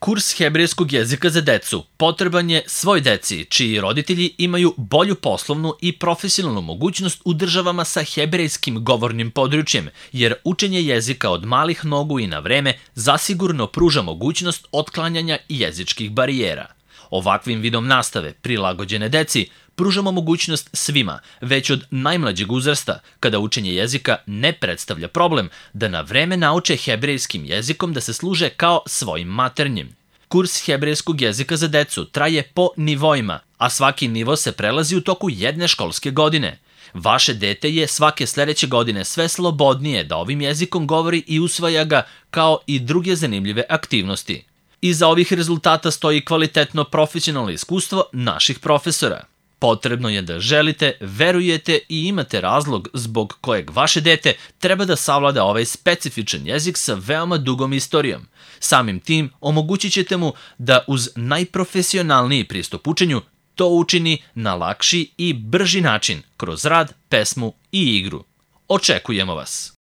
Kurs hebrejskog jezika za decu potreban je svoj deci, čiji roditelji imaju bolju poslovnu i profesionalnu mogućnost u državama sa hebrejskim govornim područjem, jer učenje jezika od malih nogu i na vreme zasigurno pruža mogućnost otklanjanja jezičkih barijera. Ovakvim vidom nastave, prilagođene deci, pružamo mogućnost svima, već od najmlađeg uzrasta, kada učenje jezika ne predstavlja problem, da na vreme nauče hebrejskim jezikom da se služe kao svojim maternjim. Kurs hebrejskog jezika za decu traje po nivoima, a svaki nivo se prelazi u toku jedne školske godine. Vaše dete je svake sledeće godine sve slobodnije da ovim jezikom govori i usvaja ga kao i druge zanimljive aktivnosti. Iza ovih rezultata stoji kvalitetno profesionalno iskustvo naših profesora. Potrebno je da želite, verujete i imate razlog zbog kojeg vaše dete treba da savlada ovaj specifičan jezik sa veoma dugom istorijom. Samim tim omogućit ćete mu da uz najprofesionalniji pristup učenju to učini na lakši i brži način kroz rad, pesmu i igru. Očekujemo vas!